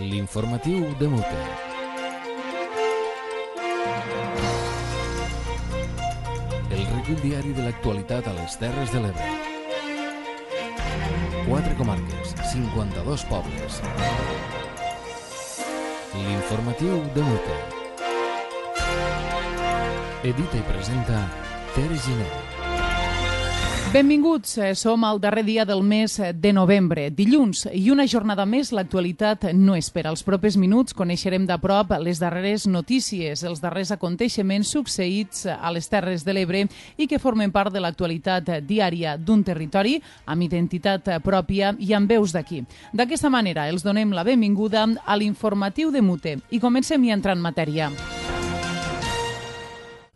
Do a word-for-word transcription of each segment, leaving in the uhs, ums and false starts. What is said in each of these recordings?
L'informatiu de Mute. El recull diari de l'actualitat a les Terres de l'Ebre. Quatre comarques, cinquanta-dos pobles. L'informatiu de Mute. Edita i presenta Tere Giner. Benvinguts, som al darrer dia del mes de novembre, dilluns, i una jornada més l'actualitat no espera. Els propers minuts coneixerem de prop les darreres notícies, els darrers aconteixements succeïts a les Terres de l'Ebre i que formen part de l'actualitat diària d'un territori amb identitat pròpia i amb veus d'aquí. D'aquesta manera els donem la benvinguda a l'informatiu de Mute i comencem ja a entrar en matèria.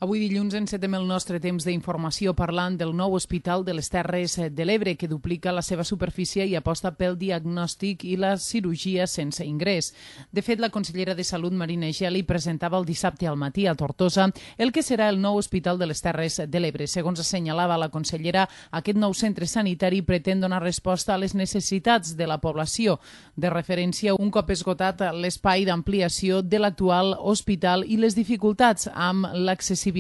Avui dilluns encetem el nostre temps d'informació parlant del nou hospital de les Terres de l'Ebre que duplica la seva superfície i aposta pel diagnòstic i la cirurgia sense ingrés. De fet, la consellera de Salut, Marina Geli, presentava el dissabte al matí a Tortosa el que serà el nou hospital de les Terres de l'Ebre. Segons assenyalava la consellera, aquest nou centre sanitari pretén donar resposta a les necessitats de la població. De referència, un cop esgotat l'espai d'ampliació de l'actual hospital i les dificultats amb l'accessibilitat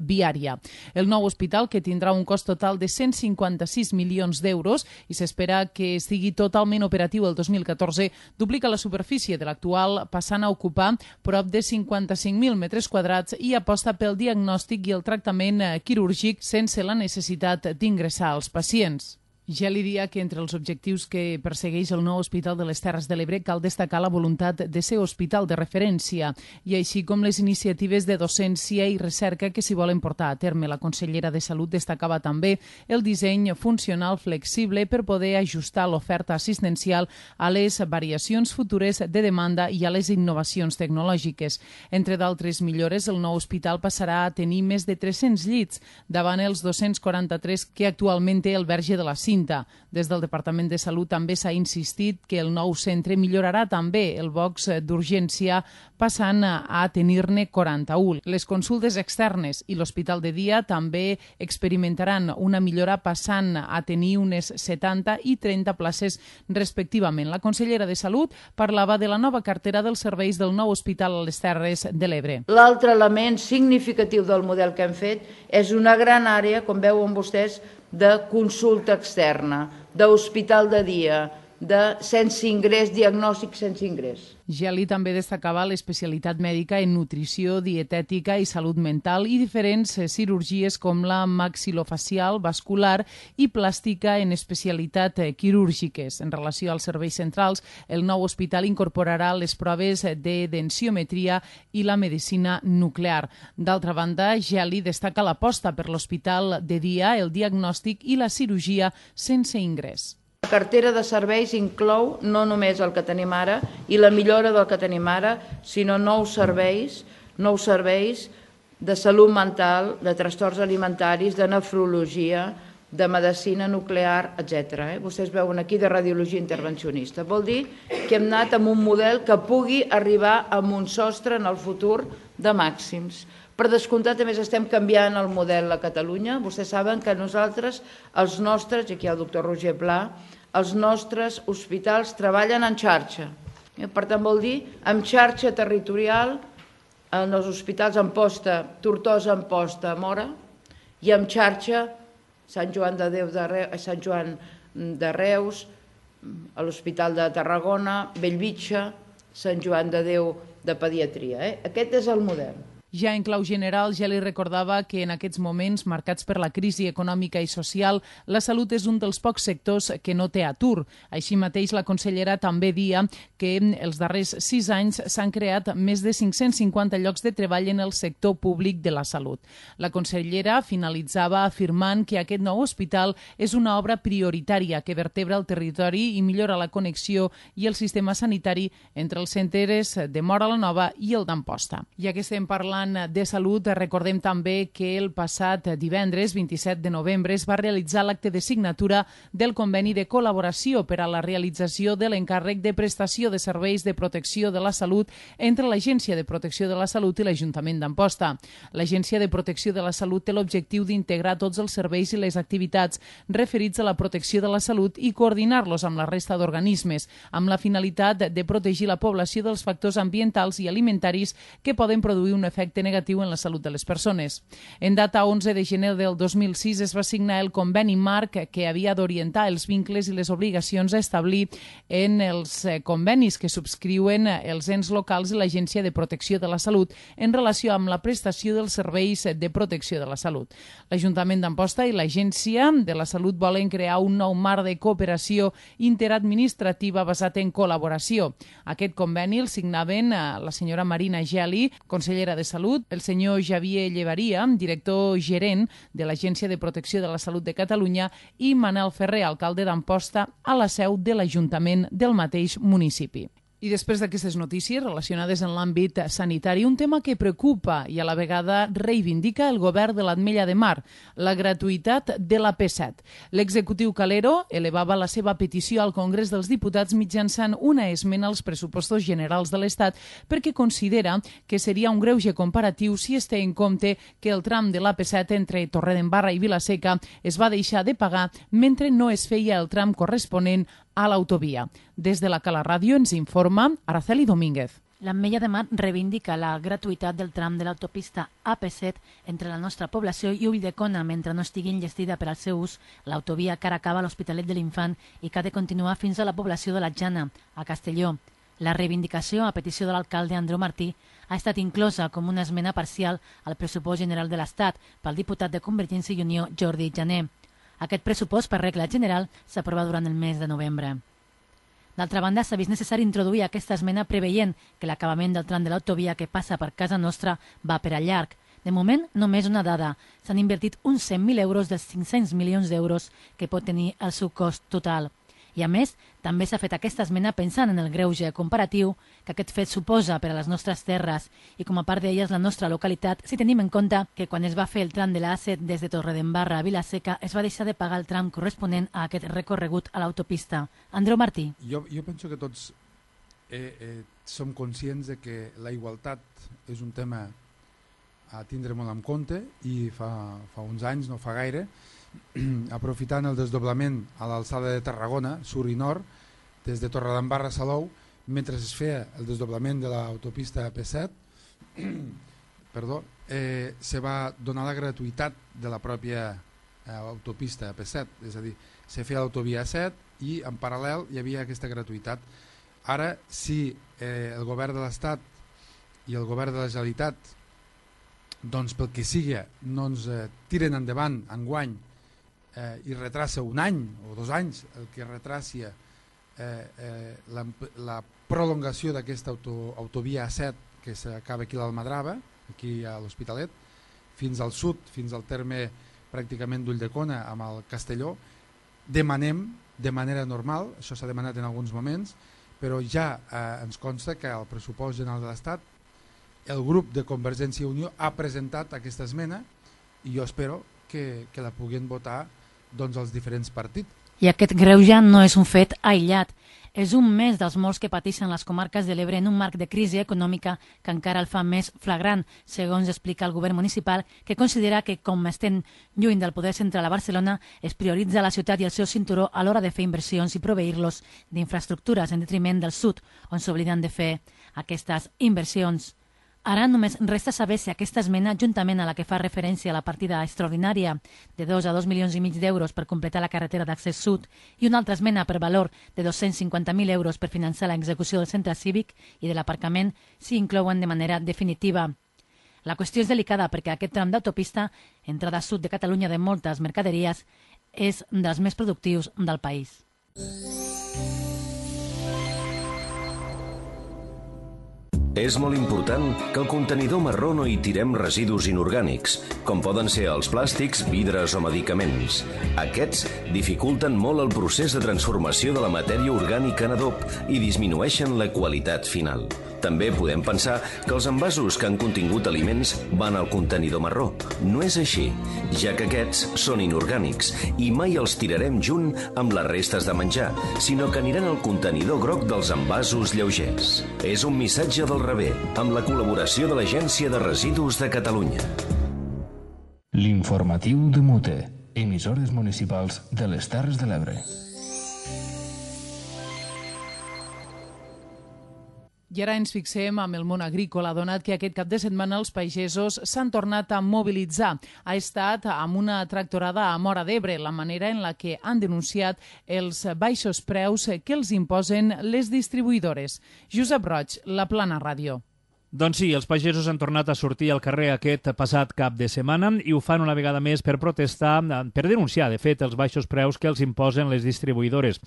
viària. El nou hospital, que tindrà un cost total de cent cinquanta-sis milions d'euros i s'espera que estigui totalment operatiu el dos mil catorze, duplica la superfície de l'actual, passant a ocupar prop de cinquanta-cinc mil metres quadrats i aposta pel diagnòstic i el tractament quirúrgic sense la necessitat d'ingressar als pacients. Ja li diria que entre els objectius que persegueix el nou Hospital de les Terres de l'Ebre cal destacar la voluntat de ser hospital de referència i així com les iniciatives de docència i recerca que s'hi volen portar a terme. La consellera de Salut destacava també el disseny funcional flexible per poder ajustar l'oferta assistencial a les variacions futures de demanda i a les innovacions tecnològiques. Entre d'altres millores, el nou hospital passarà a tenir més de tres-cents llits davant els dos-cents quaranta-tres que actualment té el Verge de la Cinta. Des del Departament de Salut també s'ha insistit que el nou centre millorarà també el box d'urgència passant a tenir-ne quaranta-un. Les consultes externes i l'hospital de dia també experimentaran una millora passant a tenir unes setanta i trenta places respectivament. La consellera de Salut parlava de la nova cartera dels serveis del nou hospital a les Terres de l'Ebre. L'altre element significatiu del model que hem fet és una gran àrea, com veuen vostès, de consulta externa, d'hospital de dia, de sense ingrés, diagnòstic sense ingrés. Geli també destacava l'especialitat mèdica en nutrició, dietètica i salut mental i diferents cirurgies com la maxilofacial, vascular i plàstica en especialitat quirúrgiques. En relació als serveis centrals, el nou hospital incorporarà les proves de densitometria i la medicina nuclear. D'altra banda, Geli destaca l'aposta per l'hospital de dia, el diagnòstic i la cirurgia sense ingrés. La cartera de serveis inclou no només el que tenim ara i la millora del que tenim ara, sinó nous serveis, nous serveis de salut mental, de trastorns alimentaris, de nefrologia, de medicina nuclear, etcètera. Vostès veuen aquí de radiologia intervencionista. Vol dir que hem anat amb un model que pugui arribar a un sostre en el futur de màxims. Per descomptat, a més, estem canviant el model a Catalunya. Vostès saben que nosaltres, els nostres, i aquí hi ha el doctor Roger Pla, els nostres hospitals treballen en xarxa. Per tant, vol dir en xarxa territorial, en els hospitals Amposta, Tortosa, Amposta, Móra, i en xarxa Sant Joan de Déu de Reus, Sant Joan de Reus, a l'Hospital de Tarragona, Bellvitge, Sant Joan de Déu de Pediatria. Eh? Aquest és el model. Ja en clau general, ja li recordava que en aquests moments marcats per la crisi econòmica i social, la salut és un dels pocs sectors que no té atur. Així mateix, la consellera també dia que els darrers sis anys s'han creat més de cinc-cents cinquanta llocs de treball en el sector públic de la salut. La consellera finalitzava afirmant que aquest nou hospital és una obra prioritària que vertebra el territori i millora la connexió i el sistema sanitari entre els centres de Móra la Nova i el d'Amposta. Ja que estem parlant parlant de salut, recordem també que el passat divendres, vint-i-set de novembre, es va realitzar l'acte de signatura del conveni de col·laboració per a la realització de l'encàrrec de prestació de serveis de protecció de la salut entre l'Agència de Protecció de la Salut i l'Ajuntament d'Amposta. L'Agència de Protecció de la Salut té l'objectiu d'integrar tots els serveis i les activitats referits a la protecció de la salut i coordinar-los amb la resta d'organismes, amb la finalitat de protegir la població dels factors ambientals i alimentaris que poden produir un efecte negatiu en la salut de les persones. En data onze de gener del dos mil sis es va signar el conveni marc que havia d'orientar els vincles i les obligacions a establir en els convenis que subscriuen els ens locals i l'Agència de Protecció de la Salut en relació amb la prestació dels serveis de protecció de la salut. L'Ajuntament d'Amposta i l'Agència de la Salut volen crear un nou marc de cooperació interadministrativa basat en col·laboració. Aquest conveni el signaven la senyora Marina Geli, consellera de Salut, el senyor Javier Llevaria, director gerent de l'Agència de Protecció de la Salut de Catalunya, i Manel Ferrer, alcalde d'Amposta, a la seu de l'Ajuntament del mateix municipi. I després d'aquestes notícies relacionades amb l'àmbit sanitari, un tema que preocupa i a la vegada reivindica el govern de l'Ametlla de Mar, la gratuïtat de l'A P set. L'executiu Calero elevava la seva petició al Congrés dels Diputats mitjançant una esmena als pressupostos generals de l'Estat perquè considera que seria un greuge comparatiu si es té en compte que el tram de l'A P set entre Torredembarra i Vilaseca es va deixar de pagar mentre no es feia el tram corresponent a l'autovia. Des de la Cala Ràdio ens informa Araceli Domínguez. L'Ametlla de Mar reivindica la gratuïtat del tram de l'autopista A P set entre la nostra població i Ulldecona mentre no estigui enllestida per al seu ús l'autovia que ara acaba a l'Hospitalet de l'Infant i que ha de continuar fins a la població de la Jana, a Castelló. La reivindicació, a petició de l'alcalde Andreu Martí, ha estat inclosa com una esmena parcial al pressupost general de l'Estat pel diputat de Convergència i Unió, Jordi Jané. Aquest pressupost, per regla general, s'aprova durant el mes de novembre. D'altra banda, s'ha vist necessari introduir aquesta esmena preveient que l'acabament del tram de l'autovia que passa per casa nostra va per al llarg. De moment, només una dada. S'han invertit uns cent mil euros dels cinc-cents milions d'euros que pot tenir el seu cost total. I a més, també s'ha fet aquesta esmena pensant en el greuge comparatiu que aquest fet suposa per a les nostres terres i com a part d'elles la nostra localitat, si tenim en compte que quan es va fer el tram de l'A set des de Torredembarra a Vilaseca es va deixar de pagar el tram corresponent a aquest recorregut a l'autopista. Andreu Martí. Jo, jo penso que tots eh, eh, som conscients de que la igualtat és un tema a tindre molt en compte i fa, fa uns anys, no fa gaire, aprofitant el desdoblament a l'alçada de Tarragona, sur i nord, des de Torredembarra a Salou, mentre es feia el desdoblament de l'autopista A P set, perdó, eh, se va donar la gratuïtat de la pròpia eh, autopista A P set, és a dir, se feia l'autovia A set i en paral·lel hi havia aquesta gratuïtat. Ara, si eh, el govern de l'Estat i el govern de la Generalitat, doncs pel que sigui, no ens eh, tiren endavant enguany eh, i retrassa un any o dos anys el que retracia eh, eh, la, la prolongació d'aquesta auto, autovia A set que s'acaba aquí a l'Almadrava, aquí a l'Hospitalet, fins al sud, fins al terme pràcticament d'Ulldecona amb el Castelló, demanem de manera normal, això s'ha demanat en alguns moments, però ja eh, ens consta que el pressupost general de l'Estat el grup de Convergència i Unió ha presentat aquesta esmena i jo espero que, que la puguin votar doncs, els diferents partits. I aquest greuge no és un fet aïllat. És un més dels molts que pateixen les comarques de l'Ebre en un marc de crisi econòmica que encara el fa més flagrant, segons explica el govern municipal, que considera que, com estem lluny del poder central a Barcelona, es prioritza la ciutat i el seu cinturó a l'hora de fer inversions i proveir-los d'infraestructures en detriment del sud, on s'obliden de fer aquestes inversions. Ara només resta saber si aquesta esmena, juntament a la que fa referència a la partida extraordinària de dos a dos milions i mig d'euros per completar la carretera d'accés sud i una altra esmena per valor de dos-cents cinquanta mil euros per finançar l'execució del centre cívic i de l'aparcament, s'hi inclouen de manera definitiva. La qüestió és delicada perquè aquest tram d'autopista, entrada sud de Catalunya de moltes mercaderies, és dels més productius del país. És molt important que al contenidor marró no hi tirem residus inorgànics, com poden ser els plàstics, vidres o medicaments. Aquests dificulten molt el procés de transformació de la matèria orgànica en adob i disminueixen la qualitat final. També podem pensar que els envasos que han contingut aliments van al contenidor marró. No és així, ja que aquests són inorgànics i mai els tirarem junt amb les restes de menjar, sinó que aniran al contenidor groc dels envasos lleugers. És un missatge del Rebé, amb la col·laboració de l'Agència de Residus de Catalunya. L'informatiu de Mute, emissores municipals de les Terres de l'Ebre. I ara ens fixem amb el món agrícola, donat que aquest cap de setmana els pagesos s'han tornat a mobilitzar. Ha estat amb una tractorada a Móra d'Ebre, la manera en la que han denunciat els baixos preus que els imposen les distribuïdores. Josep Roig, La Plana Ràdio. Doncs sí, els pagesos han tornat a sortir al carrer aquest passat cap de setmana i ho fan una vegada més per protestar, per denunciar, de fet, els baixos preus que els imposen les distribuïdores.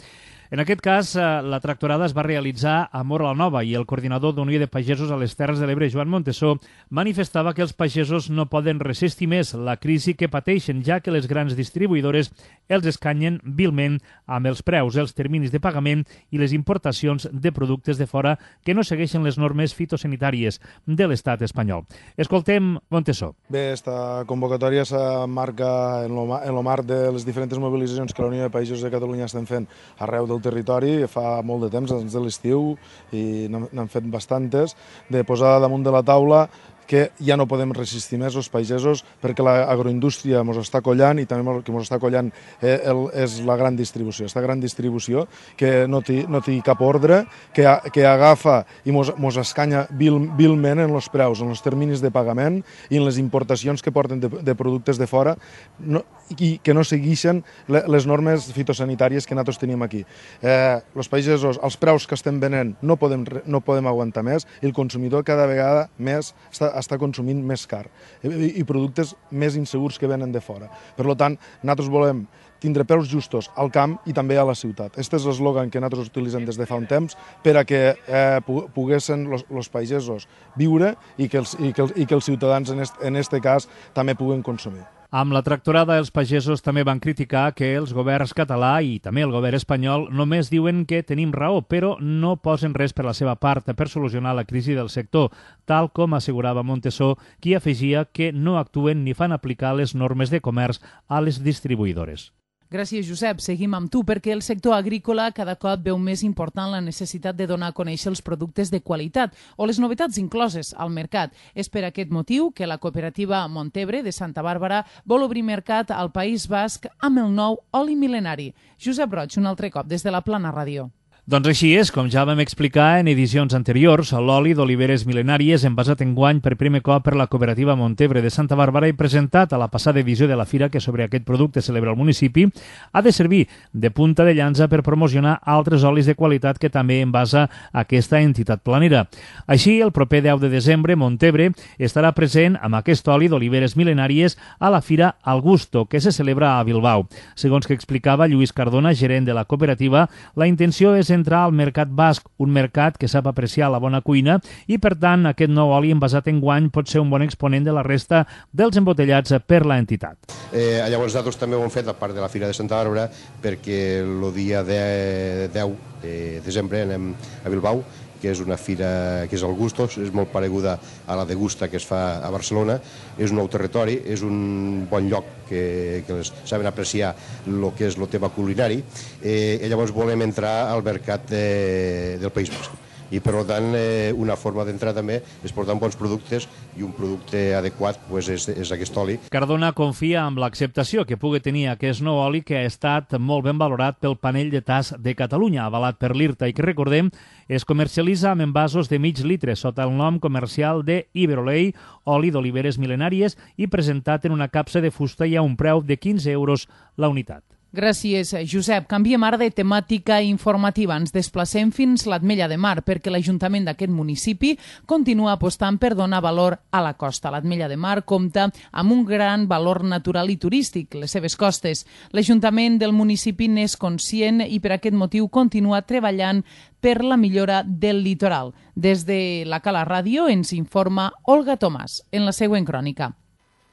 En aquest cas, la tractorada es va realitzar a Móra la Nova i el coordinador d'Unió de Pagesos a les Terres de l'Ebre, Joan Montesó, manifestava que els pagesos no poden resistir més la crisi que pateixen, ja que les grans distribuïdores els escanyen vilment amb els preus, els terminis de pagament i les importacions de productes de fora que no segueixen les normes fitosanitàries de l'estat espanyol. Escoltem Montesó. Bé, esta convocatòria s'emmarca en el marc de les diferents mobilitzacions que la Unió de Pagesos de Catalunya estem fent arreu del territori, fa molt de temps, abans de l'estiu, i n'han fet bastantes, de posar damunt de la taula que ja no podem resistir més els pagesos perquè l'agroindústria ens està collant i també el que ens està collant és la gran distribució. Aquesta gran distribució que no té, no té cap ordre, que, que agafa i ens escanya vil, vilment en els preus, en els terminis de pagament i en les importacions que porten de, de productes de fora no, i que no segueixen les normes fitosanitàries que nosaltres tenim aquí. Eh, els pagesos, els preus que estem venent no podem, no podem aguantar més i el consumidor cada vegada més està està consumint més car i, i productes més insegurs que venen de fora. Per tant, nosaltres volem tindre preus justos al camp i també a la ciutat. Aquest és l'eslògan que nosaltres utilitzem des de fa un temps per a que eh, poguessin els pagesos viure i que els, i que els, i que els ciutadans, en aquest en este cas, també puguen consumir. Amb la tractorada, els pagesos també van criticar que els governs català i també el govern espanyol només diuen que tenim raó, però no posen res per la seva part per solucionar la crisi del sector, tal com assegurava Montesó, qui afegia que no actuen ni fan aplicar les normes de comerç a les distribuïdores. Gràcies, Josep. Seguim amb tu, perquè el sector agrícola cada cop veu més important la necessitat de donar a conèixer els productes de qualitat o les novetats incloses al mercat. És per aquest motiu que la cooperativa Montebre de Santa Bàrbara vol obrir mercat al País Basc amb el nou oli mil·lenari. Josep Roig, un altre cop, des de la Plana Ràdio. Doncs així és, com ja vam explicar en edicions anteriors, l'oli d'oliveres mil·lenàries envasat enguany per primer cop per la cooperativa Montebre de Santa Bàrbara i presentat a la passada edició de la fira que sobre aquest producte celebra el municipi, ha de servir de punta de llança per promocionar altres olis de qualitat que també envasa aquesta entitat planera. Així, el proper deu de desembre, Montebre estarà present amb aquest oli d'oliveres mil·lenàries a la fira Al Gusto, que se celebra a Bilbao. Segons que explicava Lluís Cardona, gerent de la cooperativa, la intenció és entrar al mercat basc, un mercat que sap apreciar la bona cuina i, per tant, aquest nou oli envasat enguany pot ser un bon exponent de la resta dels embotellats per la entitat. Eh, llavors nosaltres també ho hem fet a part de la Fira de Santa Bàrbara perquè el dia deu de desembre anem a Bilbao, que és una fira que és el Gustos, és molt pareguda a la Degusta que es fa a Barcelona, és un nou territori, és un bon lloc que, que les saben apreciar el que és el tema culinari, eh, i llavors volem entrar al mercat de, del País Basc. I per tant eh, una forma d'entrar també és portar bons productes i un producte adequat pues, és, és aquest oli. Cardona confia en l'acceptació que pugui tenir aquest nou oli que ha estat molt ben valorat pel panell de tas de Catalunya, avalat per l'I R T A i que, recordem, es comercialitza amb envasos de mig litre sota el nom comercial de Iberolei, oli d'oliveres mil·lenàries i presentat en una capsa de fusta i a un preu de quinze euros la unitat. Gràcies, Josep. Canviem ara de temàtica informativa. Ens desplacem fins l'Ametlla de Mar perquè l'Ajuntament d'aquest municipi continua apostant per donar valor a la costa. L'Ametlla de Mar compta amb un gran valor natural i turístic, les seves costes. L'Ajuntament del municipi n'és conscient i per aquest motiu continua treballant per la millora del litoral. Des de la Cala Ràdio ens informa Olga Tomàs en la següent crònica.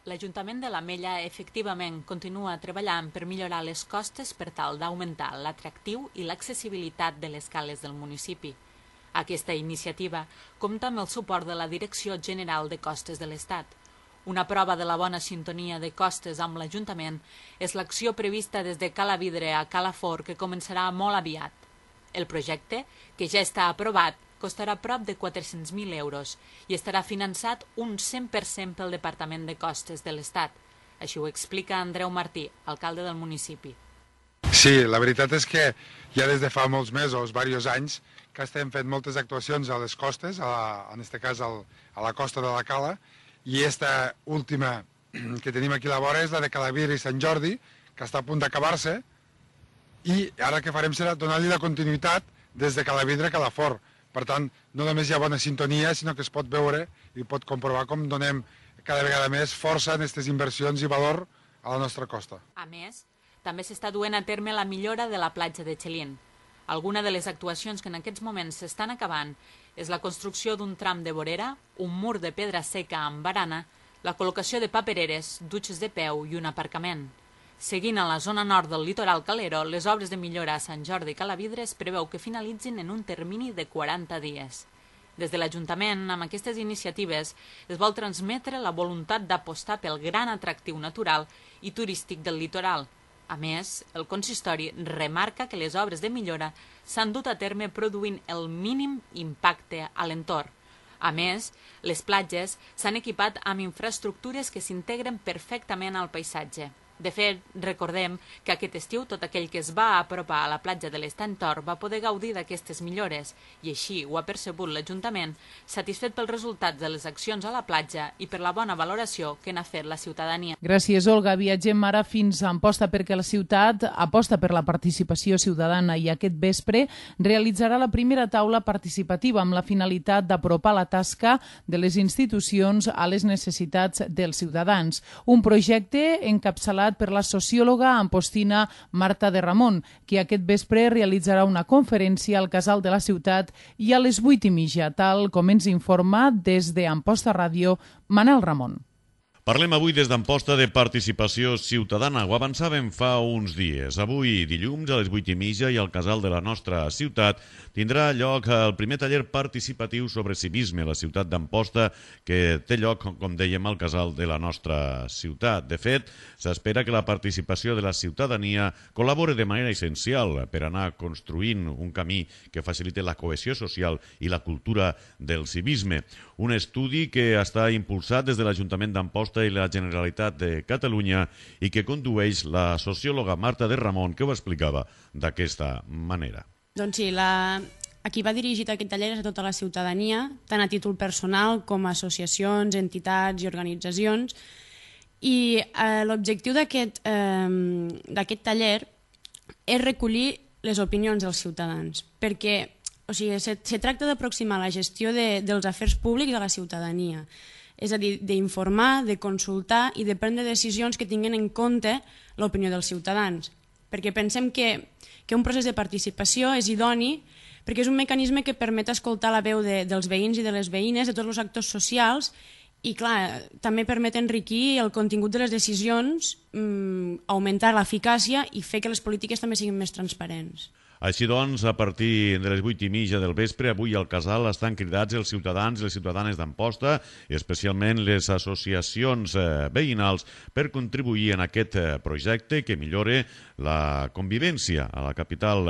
L'Ajuntament de l'Ametlla efectivament continua treballant per millorar les costes per tal d'augmentar l'atractiu i l'accessibilitat de les cales del municipi. Aquesta iniciativa compta amb el suport de la Direcció General de Costes de l'Estat. Una prova de la bona sintonia de costes amb l'Ajuntament és l'acció prevista des de Cala Vidre a Cala Fort, que començarà molt aviat. El projecte, que ja està aprovat, costarà prop de quatre-cents mil euros i estarà finançat un cent per cent pel Departament de Costes de l'Estat. Així ho explica Andreu Martí, alcalde del municipi. Sí, la veritat és que ja des de fa molts mesos, diversos anys, que estem fent moltes actuacions a les costes, a la, en aquest cas al, a la costa de la Cala, i esta última que tenim aquí a la vora és la de Calavidre i Sant Jordi, que està a punt d'acabar-se, i ara que farem serà donar-li la continuïtat des de Calavidre a Calafort. Per tant, no només hi ha bona sintonia, sinó que es pot veure i pot comprovar com donem cada vegada més força en aquestes inversions i valor a la nostra costa. A més, també s'està duent a terme la millora de la platja de Xelín. Alguna de les actuacions que en aquests moments s'estan acabant és la construcció d'un tram de vorera, un mur de pedra seca amb barana, la col·locació de papereres, dutxes de peu i un aparcament. Seguint a la zona nord del litoral calero, les obres de millora a Sant Jordi i Calavidre es preveu que finalitzin en un termini de quaranta dies. Des de l'Ajuntament, amb aquestes iniciatives, es vol transmetre la voluntat d'apostar pel gran atractiu natural i turístic del litoral. A més, el consistori remarca que les obres de millora s'han dut a terme produint el mínim impacte a l'entorn. A més, les platges s'han equipat amb infraestructures que s'integren perfectament al paisatge. De fet, recordem que aquest estiu tot aquell que es va apropar a la platja de l'Estantor va poder gaudir d'aquestes millores i així ho ha percebut l'Ajuntament, satisfet pels resultats de les accions a la platja i per la bona valoració que n'ha fet la ciutadania. Gràcies, Olga. Viatgem ara fins a Amposta perquè la ciutat aposta per la participació ciutadana i aquest vespre realitzarà la primera taula participativa amb la finalitat d'apropar la tasca de les institucions a les necessitats dels ciutadans. Un projecte encapçalat per la sociòloga ampostina Marta de Ramon, que aquest vespre realitzarà una conferència al Casal de la Ciutat i a les vuit i mitja, tal com ens informa des d'Amposta Ràdio Manel Ramon. Parlem avui des d'Amposta de participació ciutadana. Ho avançàvem fa uns dies. Avui, dilluns, a les vuit i mitja i al Casal de la nostra ciutat, tindrà lloc el primer taller participatiu sobre civisme a la ciutat d'Amposta, que té lloc, com dèiem, al Casal de la nostra ciutat. De fet, s'espera que la participació de la ciutadania col·labori de manera essencial per anar construint un camí que facilite la cohesió social i la cultura del civisme. Un estudi que està impulsat des de l'Ajuntament d'Amposta i la Generalitat de Catalunya i que condueix la sociòloga Marta de Ramon, que ho explicava d'aquesta manera. Doncs sí, la... aquí va dirigit aquest taller a tota la ciutadania, tant a títol personal com a associacions, entitats i organitzacions. I eh, l'objectiu d'aquest eh, taller és recollir les opinions dels ciutadans, perquè o sigui, se, se tracta d'aproximar la gestió de, dels afers públics a la ciutadania. És a dir, d'informar, de consultar i de prendre decisions que tinguin en compte l'opinió dels ciutadans. Perquè pensem que, que un procés de participació és idoni perquè és un mecanisme que permet escoltar la veu de, dels veïns i de les veïnes, de tots els actors socials, i clar, també permet enriquir el contingut de les decisions, mmm, augmentar l'eficàcia i fer que les polítiques també siguin més transparents. Així doncs, a partir de les vuit i mitja del vespre, avui al Casal estan cridats els ciutadans i les ciutadanes d'Amposta, especialment les associacions veïnals, per contribuir en aquest projecte que millore la convivència a la capital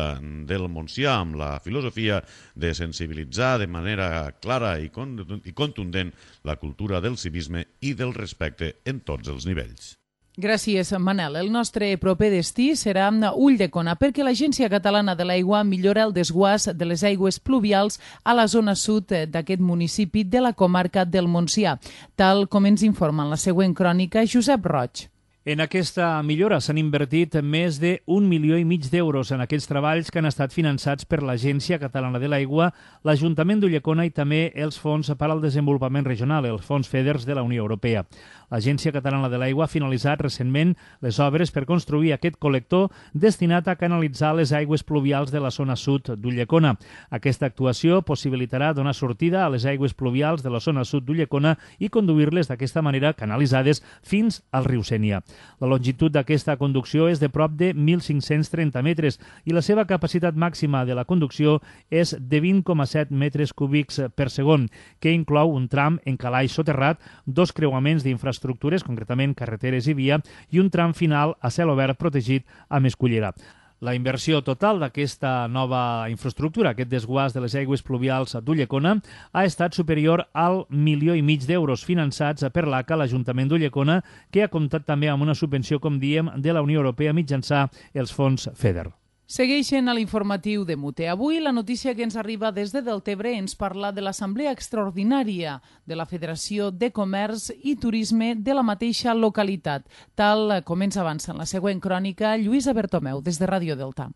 del Montsià, amb la filosofia de sensibilitzar de manera clara i contundent la cultura del civisme i del respecte en tots els nivells. Gràcies, Manel. El nostre proper destí serà Ulldecona, perquè l'Agència Catalana de l'Aigua millora el desguàs de les aigües pluvials a la zona sud d'aquest municipi de la comarca del Montsià, tal com ens informa en la següent crònica Josep Roig. En aquesta millora s'han invertit més d'un milió i mig d'euros en aquests treballs que han estat finançats per l'Agència Catalana de l'Aigua, l'Ajuntament d'Ulldecona i també els Fons per al Desenvolupament Regional, els Fons FEDER de la Unió Europea. L'Agència Catalana de l'Aigua ha finalitzat recentment les obres per construir aquest col·lector destinat a canalitzar les aigües pluvials de la zona sud d'Ulldecona. Aquesta actuació possibilitarà donar sortida a les aigües pluvials de la zona sud d'Ulldecona i conduir-les d'aquesta manera canalitzades fins al riu Sénia. La longitud d'aquesta conducció és de prop de mil cinc-cents trenta metres i la seva capacitat màxima de la conducció és de vint coma set metres cúbics per segon, que inclou un tram en calaix soterrat, dos creuaments d'infraestructures, concretament carreteres i via, i un tram final a cel obert protegit amb escullera. La inversió total d'aquesta nova infraestructura, aquest desguàs de les aigües pluvials d'Ulldecona, ha estat superior al milió i mig d'euros finançats per l'A C A, l'Ajuntament d'Ulldecona, que ha comptat també amb una subvenció, com diem, de la Unió Europea mitjançant els fons FEDER. Segueixen a l'informatiu de Mute. Avui la notícia que ens arriba des de Deltebre ens parla de l'Assemblea Extraordinària de la Federació de Comerç i Turisme de la mateixa localitat, tal com ens avança en la següent crònica Lluïsa Bertomeu, des de Ràdio Delta.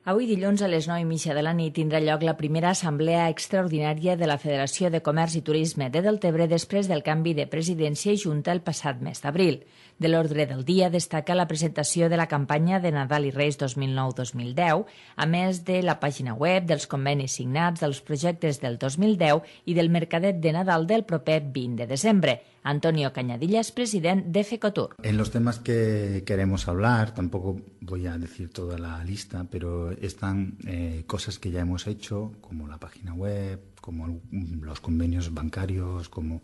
Avui dilluns a les nou i mitja de la nit tindrà lloc la primera assemblea extraordinària de la Federació de Comerç i Turisme de Deltebre després del canvi de presidència i junta el passat mes d'abril. De l'ordre del dia destaca la presentació de la campanya de Nadal i Reis dos mil nou dos mil deu, a més de la pàgina web, dels convenis signats, dels projectes del dos mil deu i del mercadet de Nadal del proper vint de desembre. Antonio Cañadillas, president de FECOTUR. En los temas que queremos hablar, tampoco voy a decir toda la lista, pero están eh, cosas que ya hemos hecho, como la página web, como los convenios bancarios, como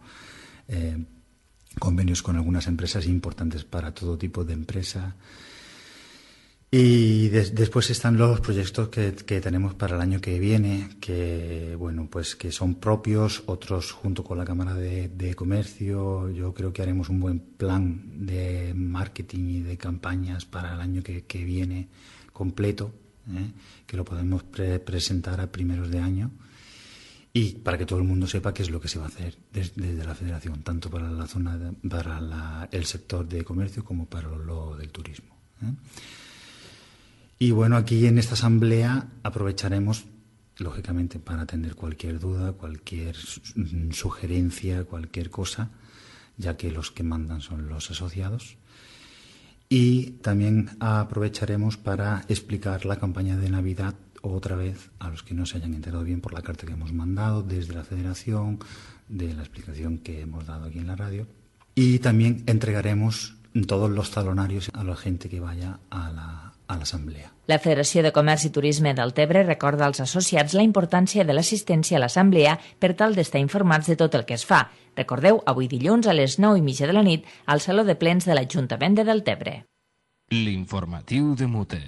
eh, convenios con algunas empresas importantes para todo tipo de empresa. Y de, después están los proyectos que, que tenemos para el año que viene, que bueno, pues que son propios, otros junto con la Cámara de, de Comercio. Yo creo que haremos un buen plan de marketing y de campañas para el año que, que viene completo, ¿eh? Que lo podemos pre presentar a primeros de año y para que todo el mundo sepa qué es lo que se va a hacer desde, desde la Federación, tanto para la zona de, para la, el sector de comercio como para lo del turismo, ¿eh? Y bueno, aquí en esta asamblea aprovecharemos, lógicamente, para atender cualquier duda, cualquier sugerencia, cualquier cosa, ya que los que mandan son los asociados. Y también aprovecharemos para explicar la campaña de Navidad otra vez a los que no se hayan enterado bien por la carta que hemos mandado desde la Federación, de la explicación que hemos dado aquí en la radio. Y también entregaremos todos los talonarios a la gente que vaya a la a l'assemblea. La Federació de Comerç i Turisme Deltebre recorda als associats la importància de l'assistència a l'assemblea per tal d'estar informats de tot el que es fa. Recordeu, avui dilluns a les nou i mitja de la nit al Saló de Plens de l'Ajuntament de Deltebre. L'informatiu de Mute.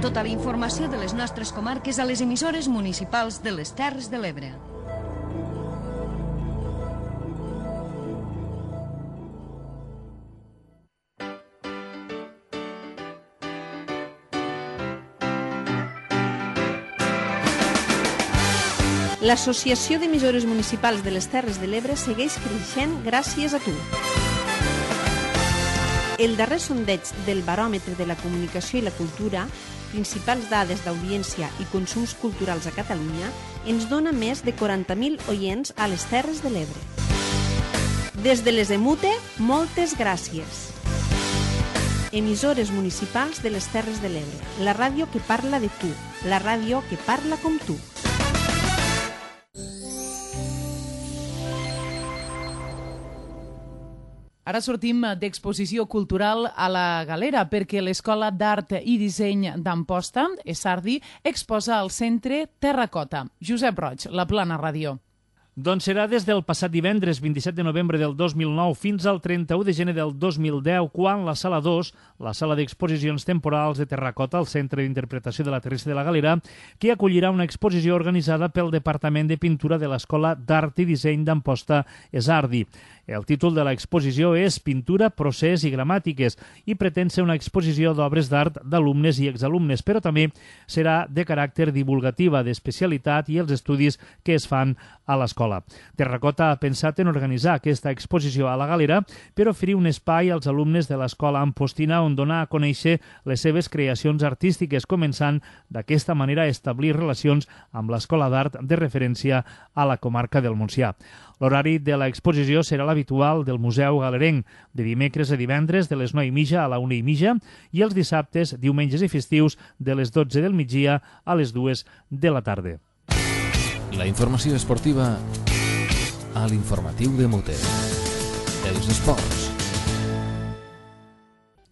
Tota la informació de les nostres comarques a les emissores municipals de les Terres de l'Ebre. L'Associació d'Emissores Municipals de les Terres de l'Ebre segueix creixent gràcies a tu. El darrer sondeig del Baròmetre de la Comunicació i la Cultura, principals dades d'audiència i consums culturals a Catalunya, ens dona més de quaranta mil oients a les Terres de l'Ebre. Des de les Emute, moltes gràcies. Emissores municipals de les Terres de l'Ebre, la ràdio que parla de tu, la ràdio que parla com tu. Ara sortim d'exposició cultural a la Galera perquè l'Escola d'Art i Disseny d'Amposta, ESARDI, exposa al centre Terracota. Josep Roig, La Plana Ràdio. Doncs serà des del passat divendres vint-i-set de novembre del dos mil nou fins al trenta-u de gener del dos mil deu, quan la Sala dos, la sala d'exposicions temporals de Terracota, al Centre d'Interpretació de la Terrestre de la Galera, que acollirà una exposició organitzada pel Departament de Pintura de l'Escola d'Art i Disseny d'Amposta, ESARDI. El títol de l'exposició és Pintura, procés i gramàtiques i pretén ser una exposició d'obres d'art d'alumnes i exalumnes, però també serà de caràcter divulgativa, d'especialitat i els estudis que es fan a l'escola. Terracota ha pensat en organitzar aquesta exposició a la Galera per oferir un espai als alumnes de l'escola ampostina on donar a conèixer les seves creacions artístiques, començant d'aquesta manera a establir relacions amb l'Escola d'Art de referència a la comarca del Montsià. L'horari de l'exposició serà l'habitual del Museu Galerenc, de dimecres a divendres de les nou i mitja a la una i mitja i els dissabtes, diumenges i festius de les dotze del migdia a les dues de la tarda. La informació esportiva a l'informatiu de Mute. Els esports.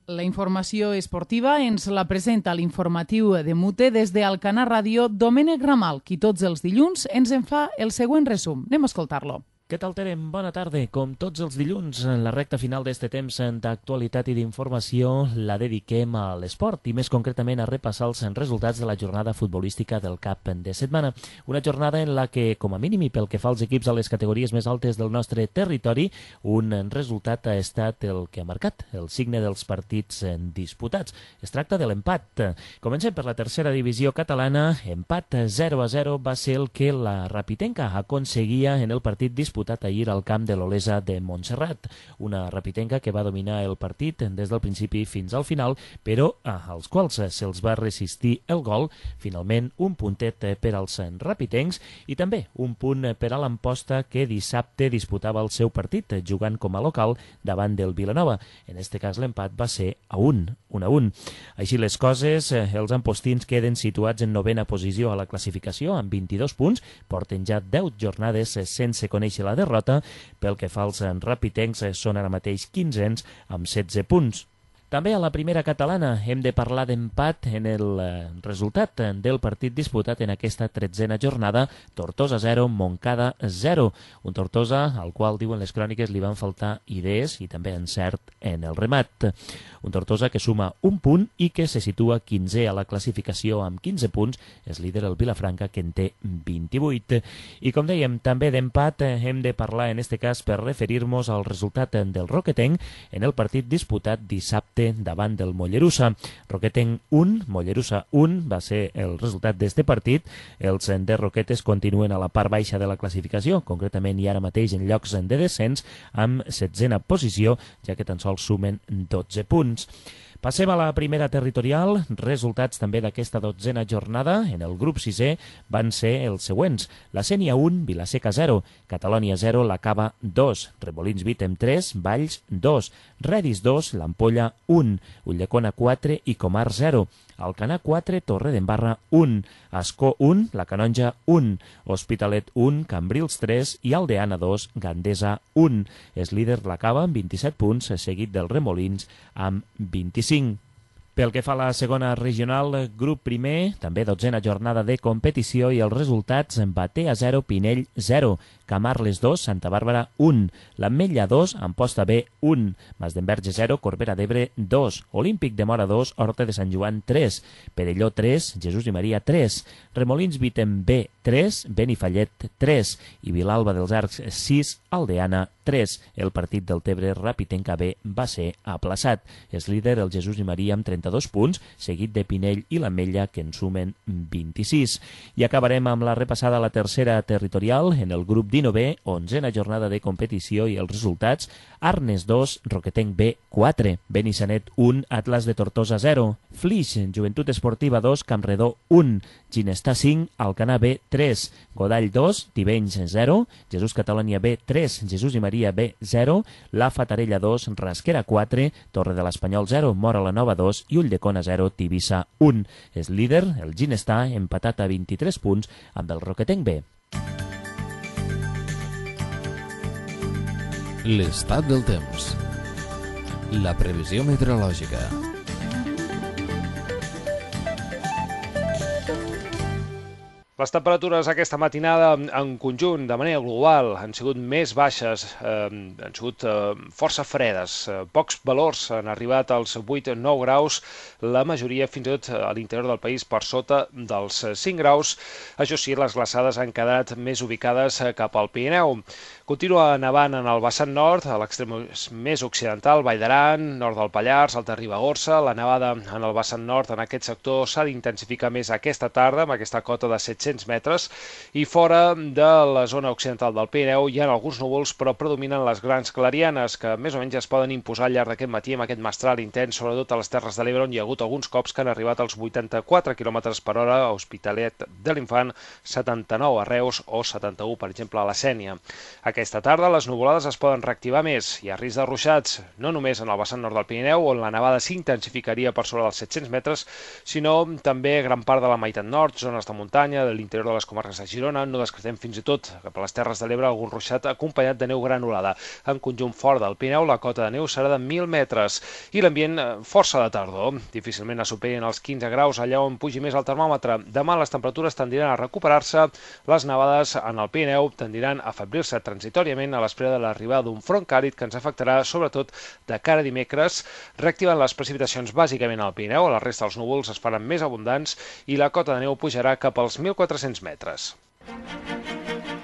La informació esportiva ens la presenta l'informatiu de Mute des d'Alcanar Ràdio Domènec Ramal, qui tots els dilluns ens en fa el següent resum. Anem a escoltar-lo. Què tal, Terem? Bona tarda. Com tots els dilluns, en la recta final d'este temps d'actualitat i d'informació la dediquem a l'esport i més concretament a repassar els resultats de la jornada futbolística del cap de setmana. Una jornada en la que, com a mínim i pel que fa als equips a les categories més altes del nostre territori, un resultat ha estat el que ha marcat el signe dels partits disputats. Es tracta de l'empat. Comencem per la tercera divisió catalana. Empat zero a zero va ser el que la Rapitenca aconseguia en el partit disputat ahir al camp de l'Olesa de Montserrat. Una rapitenca que va dominar el partit des del principi fins al final, però als quals se'ls va resistir el gol. Finalment, un puntet per als rapitencs i també un punt per a l'Amposta, que dissabte disputava el seu partit jugant com a local davant del Vilanova. En este cas, l'empat va ser a un, un a un. Així les coses, els ampostins queden situats en novena posició a la classificació amb vint-i-dos punts, porten ja deu jornades sense conèixer la derrota. Pel que fa als rapitencs, són ara mateix quinzens amb setze punts. També a la primera catalana hem de parlar d'empat en el resultat del partit disputat en aquesta tretzena jornada. Tortosa zero, Montcada zero. Un Tortosa al qual, diuen les cròniques, li van faltar idees i també encert en el remat. Un Tortosa que suma un punt i que se situa quinzè a la classificació amb quinze punts. És líder el Vilafranca, que en té vint-i-vuit. I com dèiem, també d'empat hem de parlar en este cas per referir-nos al resultat del Roquetenc en el partit disputat dissabte davant del Mollerussa. Roquetenc un, Mollerussa un va ser el resultat d'este partit. Els de Roquetes continuen a la part baixa de la classificació, concretament i ara mateix en llocs de descens amb setzena posició, ja que tan sols sumen dotze punts. Passem a la primera territorial. Resultats també d'aquesta dotzena jornada. En el grup sisè van ser els següents. La Sénia un, Vilaseca zero, Catalònia zero, la Cava dos, Remolins Vítem tres, Valls dos, Redis dos, l'Ampolla un, Ulldecona quatre i Comar zero, Alcanar quatre, Torredembarra un, Ascó un, La Canonja un, Hospitalet un, Cambrils tres i Aldeana dos, Gandesa un. És líder la Cava amb vint-i-set punts, seguit del Remolins amb vint-i-cinc. Pel que fa a la segona regional, grup primer, també dotzena jornada de competició i els resultats: Batea zero, Pinell zero, Camarles dos, Santa Bàrbara un, l'Ametlla dos, Amposta B un, Masdenverge zero, Corbera d'Ebre dos, Olímpic de Mora dos, Horta de Sant Joan tres, Perelló tres, Jesús i Maria tres, Remolins Vítem B tres, Benifallet tres i Vilalba dels Arcs sis, Aldeana tres. El partit del Tebre Rapitenca B va ser aplaçat. És líder el Jesús i Maria amb trenta-dos punts, seguit de Pinell i l'Ametlla, que en sumen vint-i-sis. I acabarem amb la repassada a la tercera territorial en el grup dinovè, onzena jornada de competició i els resultats: Arnes dos, Roquetenc B quatre, Benissanet un, Atlas de Tortosa zero, Flix, Joventut Esportiva dos, Campredó un, Ginestar cinc, Alcanar B tres, Godall dos, Tivenys zero, Jesús Catalònia B tres, Jesús i Maria B zero, La Fatarella dos, Rasquera quatre, Torre de l'Espanyol zero, Mora la Nova dos i Ulldecona zero, Tivissa un. És líder el Ginestar, empatat a vint-i-tres punts amb el Roquetenc B. L'estat del temps. La previsió meteorològica. Les temperatures aquesta matinada en conjunt, de manera global, han sigut més baixes, eh, han sigut eh, força fredes. Eh, pocs valors han arribat als vuit o nou graus, la majoria fins i tot a l'interior del país per sota dels cinc graus. Això sí, les glaçades han quedat més ubicades cap al Pirineu. Continua nevant en el vessant nord, a l'extrem més occidental, Vall d'Aran, nord del Pallars, Alta Ribagorça. La nevada en el vessant nord, en aquest sector, s'ha d'intensificar més aquesta tarda, amb aquesta cota de set-cents metres, i fora de la zona occidental del Pirineu hi ha alguns núvols, però predominen les grans clarianes, que més o menys es poden imposar al llarg d'aquest matí amb aquest mestral intens, sobretot a les Terres de l'Ebre, on hi ha hagut alguns cops que han arribat als vuitanta-quatre quilòmetres per hora, a Hospitalet de l'Infant, setanta-nou a Reus o setanta-u, per exemple, a la Sénia. Aquesta tarda les nuvolades es poden reactivar més. Hi ha risc de ruixats, no només en el vessant nord del Pirineu, on la nevada s'intensificaria per sobre dels set-cents metres, sinó també gran part de la meitat nord, zones de muntanya, del l'interior de les comarques de Girona. No descartem fins i tot cap a les Terres de l'Ebre algun ruixat acompanyat de neu granulada. En conjunt fort del Pirineu, la cota de neu serà de mil metres i l'ambient força de tardor. Difícilment es superin els quinze graus allà on pugi més el termòmetre. Demà les temperatures tendiran a recuperar-se. Les nevades en el Pirineu tendiran a afeblir-se transitoriament a l'espera de l'arribada d'un front càlid que ens afectarà sobretot de cara a dimecres, reactivant les precipitacions bàsicament al Pirineu. A la resta els núvols es faran més abundants i la cota de neu pujarà cap als mil quatre-cents metres.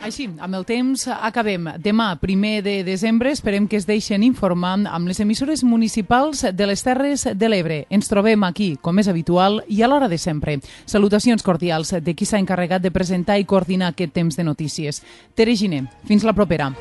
Així, amb el temps acabem. Demà, primer de desembre, esperem que es deixen informar amb les emissores municipals de les Terres de l'Ebre. Ens trobem aquí, com és habitual, i a l'hora de sempre. Salutacions cordials de qui s'ha encarregat de presentar i coordinar aquest temps de notícies. Tere Giner, fins la propera.